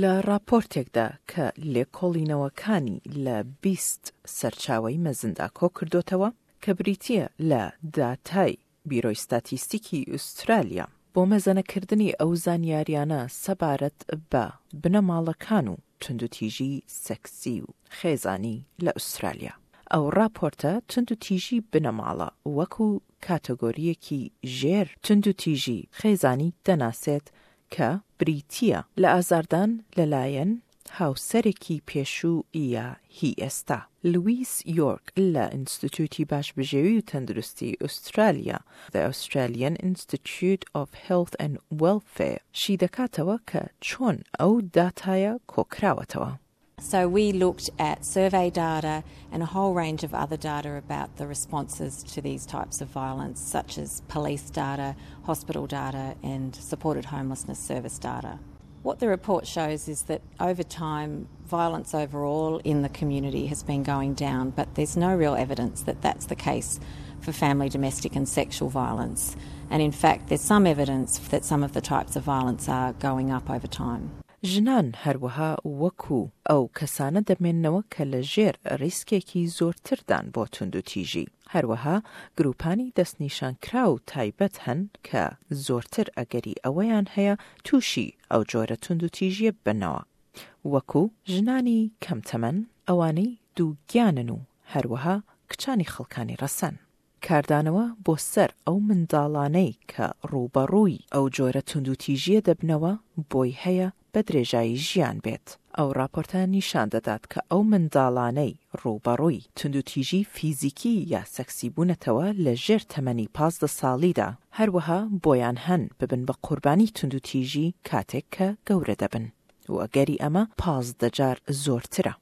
لە ڕاپۆرتێکدا کە لێکۆڵینەوەکانی لە 20 سەرچاوەی مەزندا کۆکردۆتەوە، کە بریتییە لە داتای بیرۆی ستاتیستیکی ئوسترالیا بۆ مەزەنەکردنی ئەو زانیاریانە سەبارەت بە بنەماڵەکان و توندوتیژی سێکسی و خێزانی لە ئوسترالیا. ئەو ڕاپۆرتە توندوتیژی بنەماڵە وەکو کاتەگۆرییەکی ژێر توندوتیژی خێزانی دەناسێت کە بریتییە لە ئازاردان لەلایەن هاوسەرێکی پێشوو یا هی ئێستا. لویس یۆرک لە ئینستیتوتی باشبژێوی و تەندروستی ئوسترالیا، The Australian Institute of Health and Welfare، شیدەکاتەوە کە چۆن ئەو داتایە کۆکراوەتەوە. So we looked at survey data and a whole range of other data about the responses to these types of violence, such as police data, hospital data, and supported homelessness service data. What the report shows is that over time, violence overall in the community has been going down, but there's no real evidence that that's the case for family, domestic, and sexual violence. And in fact, there's some evidence that some of the types of violence are going up over time. ژنان هەروەها وەکو ئەو کەسانە دەمێننەوە کە لە ژێر ریسکێکی زۆرتردان بۆ توندوتیژی. هەروەها گروپانی دەستنیشانکراو تایبەت هەن کە زۆرتر ئەگەری ئەوەیان هەیە تووشی ئەو جۆرە توندوتیژیە ببنەوە وەکو، ژنانی کەم تەمەن، ئەوانەی دووگیانن و هەروەها کچانی خەڵکانی رەسەن. کاردانەوە بۆ سەر ئەو منداڵانەی کە ڕووبەڕووی ئەو جۆرە توندوتیژییە دەبنەوە بۆی هەیە بە درێژایی ژیان بێت. ئەو ڕاپۆرتە نیشان دەدات کە ئەو منداڵانەی ڕووبەڕووی توندوتیژی فیزیکی یا سەکسی بوونەتەوە لە ژێر تەمەنی 15 ساڵیدا هەروەها بۆیان هەن ببن بە قوربانی توندوتیژی کاتێک کە گەورە دەبن و ئەگەری ئەمە 15 جار زۆرترە.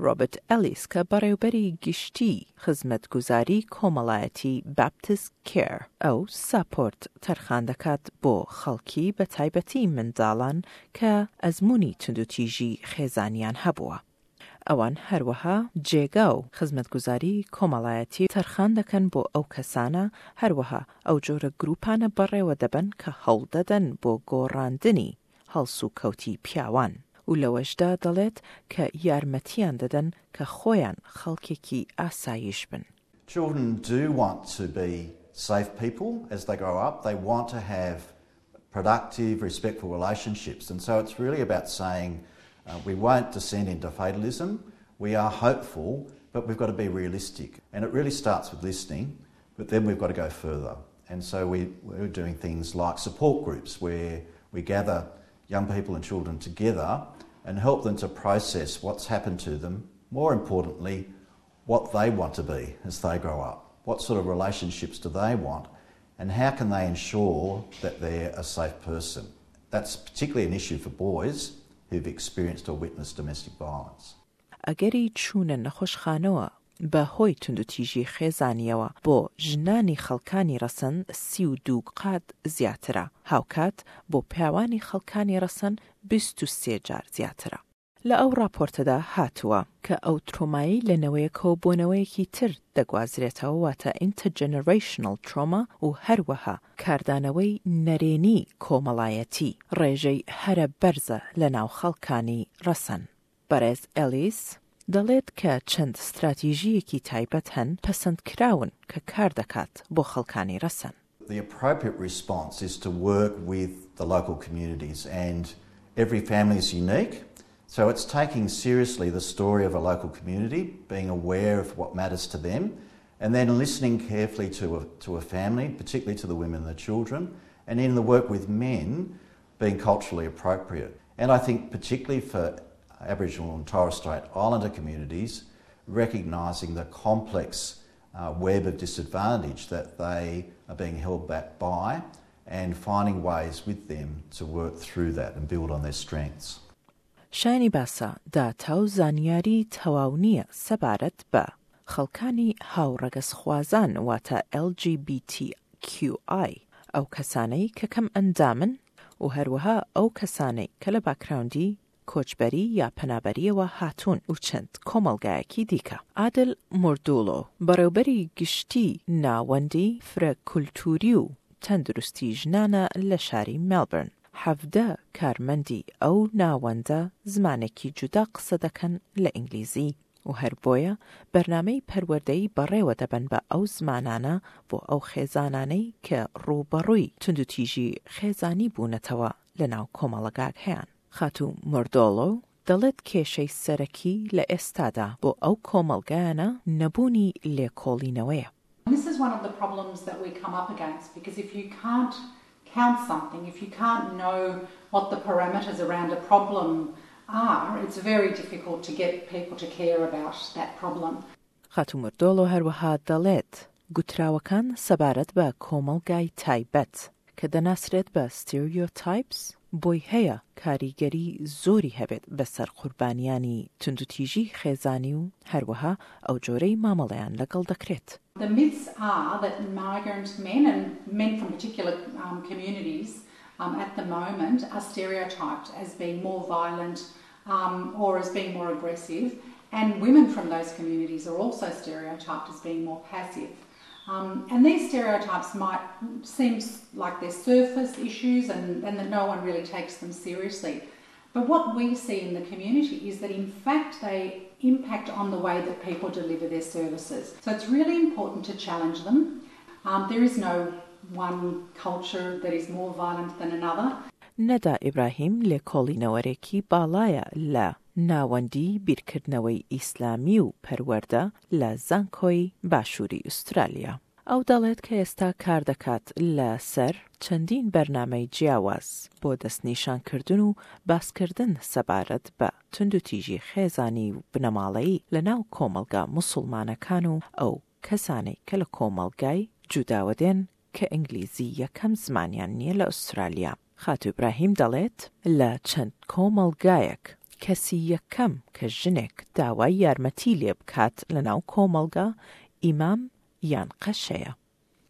ڕۆبەرت ئەلیس کە بەڕێوبەری گشتیی خزمەتگوزاری کۆمەڵایەتی Baptist Care ئەو ساپۆرت تەرخان دەکات بۆ خەڵکی بە تایبەتی منداڵان کە ئەزموونی توندوتیژی خێزانیان هەبووە. ئەوان هەروەها جێگا و خزمەتگوزاری کۆمەڵایەتی تەرخان دەکەن بۆ ئەو کەسانە، هەروەها ئەو جۆرە گرووپانە بەڕێوە دەبەن کە هەوڵدەدەن بۆ گۆڕاندنی هەڵسوکەوتی پیاوان و لەوەشدا دەڵێت کە یارمەتیان دەدەن کە خۆیان خەڵکێکی ئاسایش بن. Children do want to be safe people as they grow up. They want to have productive, respectful relationships. And so it's really about saying uh, we won't descend into fatalism. We are hopeful, but we've got to be realistic. And it really starts with listening, but then we've got to go further. And so we, we're doing things like support groups where we gather young people and children together and help them to process what's happened to them, more importantly, what they want to be as they grow up. What sort of relationships do they want? And how can they ensure that they're a safe person? That's particularly an issue for boys who've experienced or witnessed domestic violence. ئەگەری چوونە نەخۆشخانەوە بە هۆی توندوتیژی خێزانییەوە بۆ ژنانی خەڵکانی ڕەسەن 32 قات زیاترە، هاوکات بۆ پیاوانی خەڵکانی ڕەسەن 23 جار زیاترە. لە ئەو ڕاپۆرتەدا هاتووە، کە ئەو ترۆمایەی لە نەوەیەکەوە بۆ نەوەیەکی تر دەگوازرێتەوە واتە Intergenerational Trauma و هەروەها کاردانەوەی نەرێنی کۆمەڵایەتی ڕێژەی هەرە بەرزە لە ناو خەڵکانی ڕەسەن. بەڕێز ئێلیس دەڵێت کە چەند ستراتیژییەکی تایبەت هەن پەسەندکراون کە کاردەکات بۆ خەڵکانی ڕەسەن. The appropriate response is to work with the local communities and every family is unique so it's taking seriously the story of a local community, being aware of what matters to them and then listening carefully to a, to a family, particularly to the women and the children, and in the work with men, being culturally appropriate. And I think particularly for Aboriginal and Torres Strait Islander communities, recognising the complex uh, web of disadvantage that they are being held back by and finding ways with them to work through that and build on their strengths. شایانی باسە، داتا و زانیاری تەواو نییە سەبارەت بە خەڵکانی هاوڕەگەزخوازان واتە LGBTQI، ئەو کەسانەی کە کەمئەندامن و هەروەها ئەو کەسانەی کە لە باکراوندی کۆچبەری یا پەنابەرییەوە هاتوون و چەند کۆمەڵگایەکی دیکە. عادل موردوڵۆ، بەڕێوبەری گشتیی ناوەندی فرە کولتووری و تەندروستی ژنانە لە شاری مێلبرن. 17 کارمەندی ئەو ناوەندە زمانێکی جودا قسە دەکەن لە ئینگلیزی و هەر بۆیە بەرنامەی پەروەردەیی بەڕێوە دەبەن بە ئەو زمانانە بۆ ئەو خێزانانەی کە ڕووبەڕووی توندوتیژی خێزانی بوونەتەوە لەناو کۆمەڵەگاکەیان. خاتوو مۆردۆڵۆ دەڵێت کێشەی سەرەکی لە ئێستادا بۆ ئەو کۆمەڵگایانە نەبوونی لێکۆڵینەوەیە. This is one of the problems that we come up against because if you can't count something, if you can't know what the parameters around a problem are, it's very difficult to get people to care about that problem. خاتوو مردۆڵۆ هەروەها دەڵێت گوتراوەکان سەبارەت بە کۆمەڵگای تایبەت کە دەناسرێت بە Stereotypes بۆی هەیە کاریگەری زۆری هەبێت بەسەر قوربانیانی توندوتیژی خێزانی و هەروەها ئەو جۆرەی مامەڵەیان لەگەڵ دەکرێت. The myths are that migrant men and men from particular communities at the moment are stereotyped as being more violent or as being more aggressive and women from those communities are also stereotyped as being more passive. And these stereotypes might seem like they're surface issues and, and that no one really takes them seriously. But what we see in the community is that in fact they impact on the way that people deliver their services. So it's really important to challenge them. Um, there is no one culture that is more violent than another. نەدا ئیبراهیم لێکۆڵینەوەرێکی باڵایە لە ناوەندی بیرکردنەوەی ئیسلامی و پەروەردە لە زانکۆی باشووری ئوسترالیا. ئەو دەڵێت کە ئێستا کاردەکات لە سەر چەندین بەرنامەی جیاواز بۆ دەستنیشانکردن و باسکردن سەبارەت بە توندوتیژی خێزانی و بنەماڵەیی لە ناو کۆمەڵگا موسوڵمانەکان و ئەو کەسانەی کە لە کۆمەڵگای جوداوە دێن کە ئینگلیزی یەکەم زمانیان نییە لە ئوسترالیا. خاتوو ئیبراهیم دەڵێت لە چەند کۆمەڵگایەک کەسی یەکەم کە ژنێک داوای یارمەتی لێ بکات لەناو کۆمەڵگا ئیمام یان قەشەیە.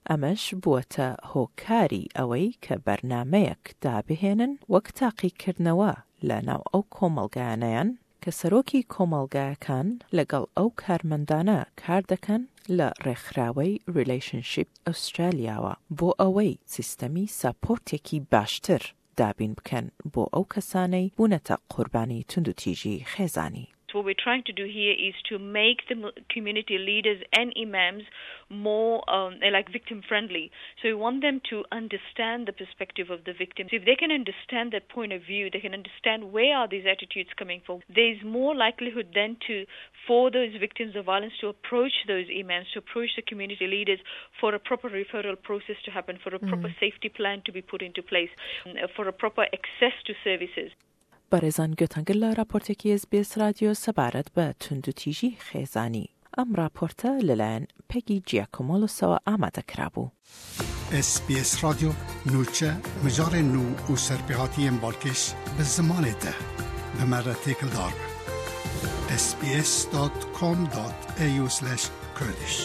ئەمەش بووەتە هۆکاری ئەوەی کە بەرنامەیەک دابهێنن وەک تاقیکردنەوە لە ناو ئەو کۆمەڵگایانەیان کە سەرۆکی کۆمەڵگایەکان لەگەڵ ئەو کارمەندانە کار دەکەن لە ڕێکخراوەی ریلەیشنشیپ ئوسترالیاوە بۆ ئەوەی سیستەمی ساپۆرتێکی باشتر دابین بکەن بۆ ئەو کەسانەی بوونەتە قوربانی توندوتیژی خێزانی. What we're trying to do here is to make the community leaders and imams more um, like victim friendly. So we want them to understand the perspective of the victims. If they can understand that point of view, they can understand where are these attitudes coming from. There's more likelihood then to for those victims of violence to approach those imams, to approach the community leaders for a proper referral process to happen, for a proper mm. safety plan to be put into place, for a proper access to services. بەڕێزان گوێتان گرت لە ڕاپۆرتێکی ئێس بی ئێس ڕادیۆ سەبارەت بە توندوتیژی خێزانی. ئەم ڕاپۆرتە لەلایەن پێگی جیاکۆمۆلۆسەوە ئامادە کرابوو. ئێس بی ئێس ڕادیۆ نوچە مژارên nû û serpêhatiyên balkêş bi zimanê te bi me re têkildar be. sbs.com.au/kurdish.